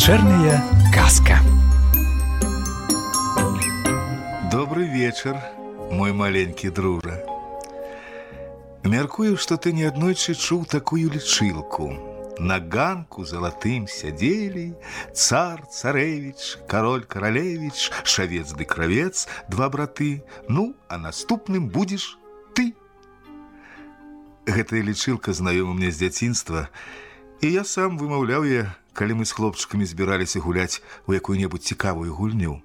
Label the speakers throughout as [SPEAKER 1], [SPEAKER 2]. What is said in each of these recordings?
[SPEAKER 1] Вечерняя казка.
[SPEAKER 2] Добрый вечер, мой маленький дружа. Мяркую, што ты неаднойчы чуў такую лічылку. На ганку залатым сядзелі цар, царэвіч, кароль, каралевіч, шавец ды кравец, два браты. Ну, а наступным будзеш ты. Гэтая лічылка знаёма мне з дзяцінства, і я сам вымаўляў яе, калі мы з хлопчыкамі збіраліся гуляць у якую-небудзь цікавую гульню.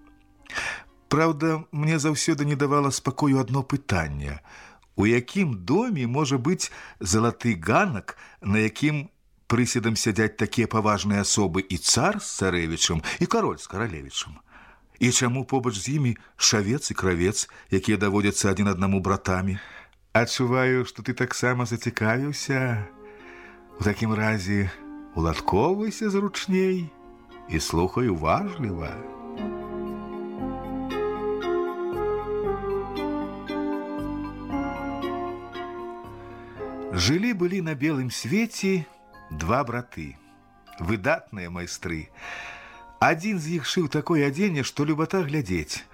[SPEAKER 2] Праўда, мне заўсёды не давала спакою адно пытанне. У якім доме можа быць залаты ганак, на якім прысядам сядзяць такія паважныя асобы і цар з царэвічам, і кароль з каралевічам? І чаму побач з імі шавец і кравец, якія даводзяцца адзін аднаму братамі? Адчуваю, што ты таксама зацікавіўся. У такім разе уладкоўвайся зручней і слухай уважліва. Жылі-былі на белым свеце два браты, выдатныя майстры. Адзін з іх шыў такое адзенне, што любата глядзець,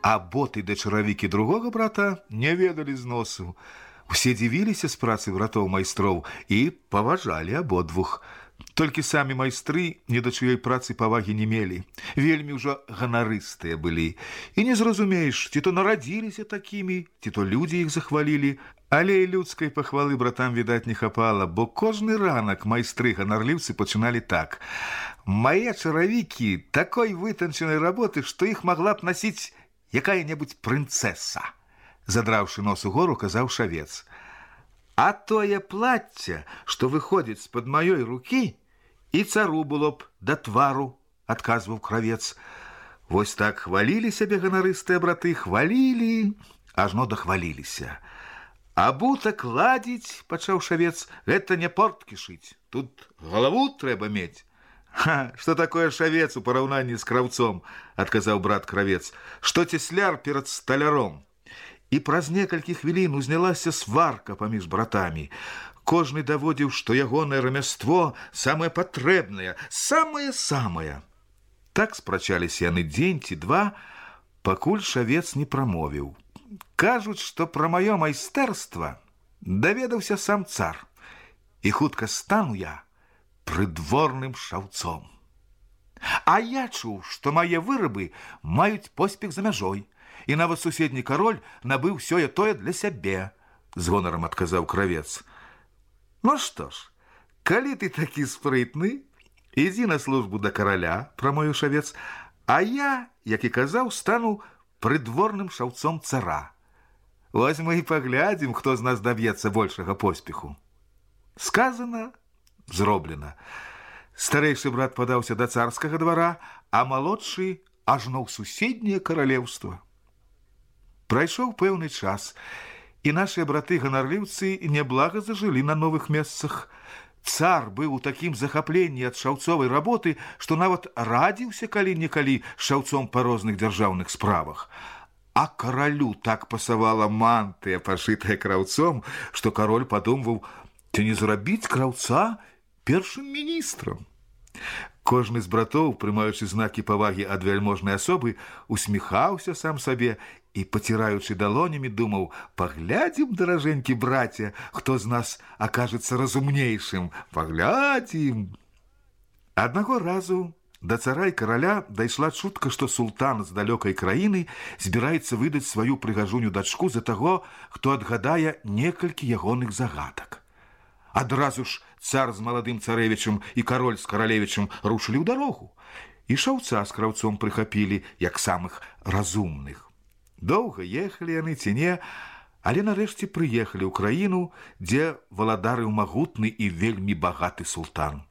[SPEAKER 2] а боты да чаравікі другога брата не ведалі зносу. Усе дзівіліся з працы братоў-майстроў і паважалі абодвух. Толькі самі майстры ні да чыёй працы павагі не мелі. Вельмі ўжо ганарыстыя былі. І не зразумееш, ці то нарадзіліся такімі, ці то людзі іх захвалілі. Але і людскай пахвалы братам, відаць, не хапала, бо кожны ранак майстры-ганарліўцы пачыналі так. Мае чаравікі такой вытанчанай работы, што іх магла б насіць якая-небудзь прынцэса. Задраўшы нос угору, казаў шавец. А тое плацце, што выходзіць з-пад маёй рукі, і цару было б да твару, адказваў кравец. Вось так хвалілі сябе ганарыстыя браты, хвалілі, ажно дахваліліся. Абутак ладзіць, пачаў шавец, гэта не порткі шыць, тут галаву трэба мець. Што такое шавец у параўнанні з краўцом, адказаў брат кравец, што цесляр перад сталяром. І праз некалькі хвілін узнялася сварка паміж братамі. Кожны даводзіў, што ягонае рамяство самае патрэбнае, самае-самае. Так спрачаліся яны дзень ці два, пакуль шавец не прамовіў. Кажуць, што пра маё майстэрства даведаўся сам цар, і хутка стану я прыдворным шаўцом. А я чуў, што мае вырабы маюць поспех за мяжой, і нават суседні кароль набыў сёе-тое для сябе, з гонарам адказаў кравец. Ну што ж, калі ты такі спрытны, ідзі на службу да караля, прамовіў шавец, а я, як і казаў, стану прыдворным шаўцом цара. Вось мы і паглядзім, хто з нас даб'ецца большага поспеху. Сказана, зроблена. Старэйшы брат падаўся да царскага двара, а малодшы ажно ў суседняе каралеўства. Прайшоў пэўны час, і нашыя браты-ганарліўцы няблага зажылі на новых месцах. Цар быў у такім захапленні ад шаўцовай работы, што нават радзіўся калі-нікалі шаўцом па розных дзяржаўных справах. А каралю так пасавала мантыя, пашытая краўцом, што кароль падумваў, ці не зрабіць краўца першым міністрам. Кожны з братоў, прымаючы знакі павагі ад вяльможнай асобы, усміхаўся сам сабе і, паціраючы далонямі, думаў, паглядзім, даражэнькі браце, хто з нас акажацца разумнейшым, паглядзім. Аднаго разу да цара і караля дайшла чутка, што султан з далёкай краіны збіраецца выдаць сваю прыгажуню дачку за таго, хто адгадае некалькі ягоных загадак. Адразу ж цар з маладым царэвічам і кароль з каралевічам рушылі ў дарогу, і шаўца з краўцом прыхапілі, як самых разумных. Доўга ехалі яны ці не, але нарэшце прыехалі ў краіну, дзе валадарыў магутны і вельмі багаты султан.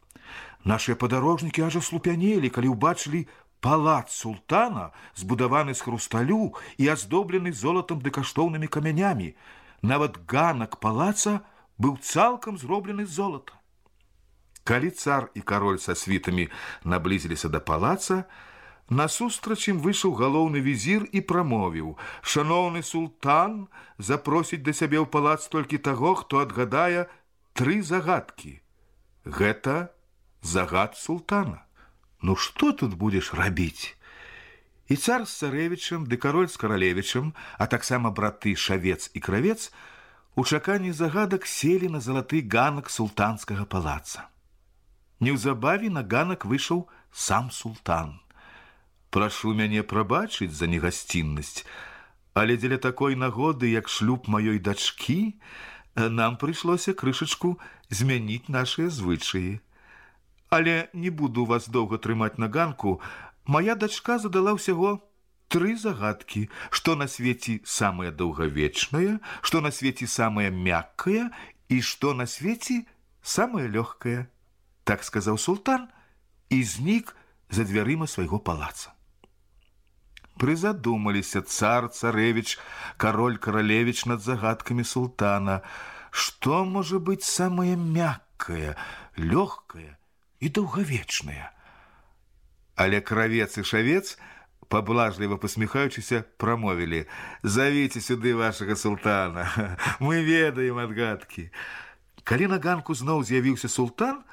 [SPEAKER 2] Нашыя падарожнікі аж аслупянелі, калі ўбачылі палац султана, збудаваны з хрусталю і аздоблены золатам ды каштоўнымі камянямі. Нават ганак палаца быў цалкам зроблены з золата. Калі цар і кароль са світамі наблізіліся да палаца, насустрач ім выйшаў галоўны візір і прамовіў: «Шаноўны султан запросіць да сябе ў палац толькі таго, хто адгадае 3 загадкі. Гэта загад султана». ну што тут будзеш рабіць? І цар з царэвічам, ды кароль з каралевічам, а таксама браты Шавец і Кравец у чаканні загадак селі на залаты ганак султанскага палаца. Неўзабаве на ганак выйшаў сам султан. Прашу мяне прабачыць за негасціннасць, але дзеля такой нагоды, як шлюб маёй дачкі, нам прыйшлося крышачку змяніць нашыя звычаі. Але не буду вас доўга трымаць на ганку. Моя дачка задала ўсяго 3 загадкі, што на свеце самае доўгавечнае, што на свеце самае мяккае і што на свеце самае лёгкае. Так сказаў султан і знік за дзвярыма свайго палаца. Прызадумаліся цар, царэвіч, кароль, каралевіч над загадкамі султана. Што можа быць самае мяккае, лёгкае і доўгавечнае? Але Кравец і Шавец, паблажліва пасміхаючыся, прамовілі: «Завіце сюды вашага султана, мы ведаем адгадкі». Калі на ганку зноў з'явіўся султан,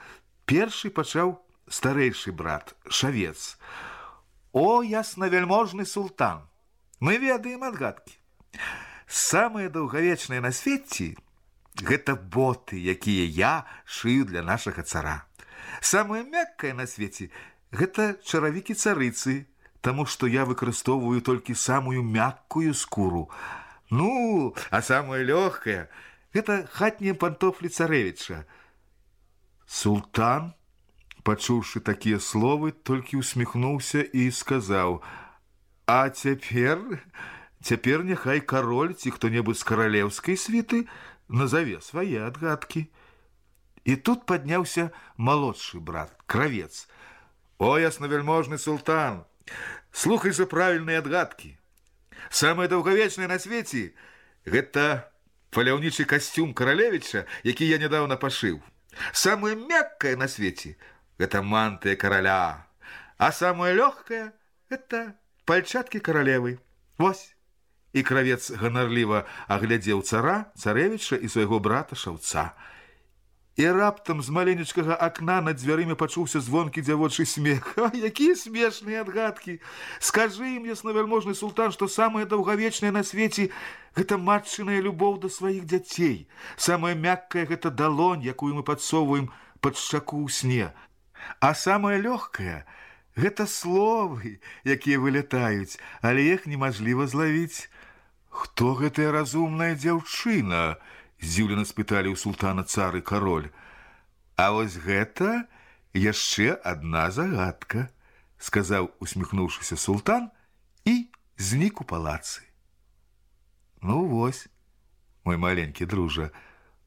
[SPEAKER 2] першы пачаў старэйшы брат, Шавец. «О, яснавяльможны султан, мы ведаем адгадкі. Самае даўгавечнае на свеце – гэта боты, якія я шыю для нашага цара. Самае мяккае на свеце – гэта чаравікі царыцы, таму што я выкарыстоўваю толькі самую мяккую скуру. Ну, а самае лёгкае – гэта хатнія пантофлі царэвіча». Султан, пачуўшы такія словы, толькі усміхнуўся і сказаў: «А цяпер няхай кароль ці хто-небудзь з каралеўскай світы назаве свае адгадкі». І тут падняўся малодшы брат, Кравец. «О, яснавяльможны султан, слухай жа правільныя адгадкі. Самае даўгавечнае на свеце – гэта паляўнічы касцюм каралевіча, які я нядаўна пашыў. Самае мяккае на свеце – гэта мантыя караля, а самае лёгкае – гэта пальчаткі каралевы. Вось». І Кравец ганарліва аглядзеў цара, царэвіча і свайго брата Шаўца. І раптам з маленечкага акна над дзвярымі пачуўся звонкі дзявочы смех. Якія смешныя адгадкі! Скажы ім, яснавяльможны султан, што самае даўгавечнае на свеце – гэта матчыная любоў да сваіх дзяцей. Самае мяккае – гэта далонь, якую мы падсоўваем пад шчаку ў сне. А самае лёгкае – гэта словы, якія вылятаюць, але іх немажліва злавіць. «Хто гэтая разумная дзяўчына?» – здзіўлена спыталі ў султана цар і кароль. «А вось гэта яшчэ адна загадка», – сказаў, усміхнуўшыся султан, і знік у палацы. Ну вось, мой маленькі дружа,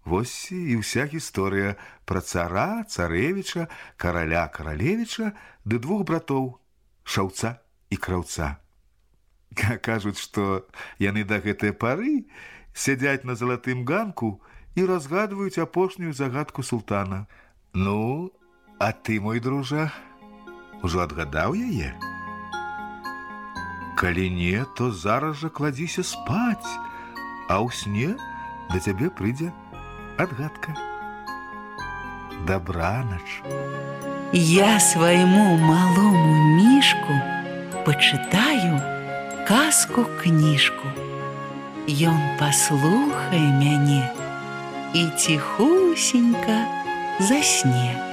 [SPEAKER 2] вось і ўся гісторыя пра цара, царэвіча, караля, каралевіча ды 2 братоў, Шаўца і Краўца. Кажуць, што яны да гэтай пары сядзяць на залатым ганку і разгадваюць апошнюю загадку султана. Ну, а ты, мой дружа, ужо адгадаў яе? Калі не, то зараз жа кладзіся спаць, а ў сне да цябе прыйдзе адгадка. Дабранач.
[SPEAKER 1] Я свайму малому мішку пачытаю казку-кніжку. Ён паслухае мяне і ціхусенька засне.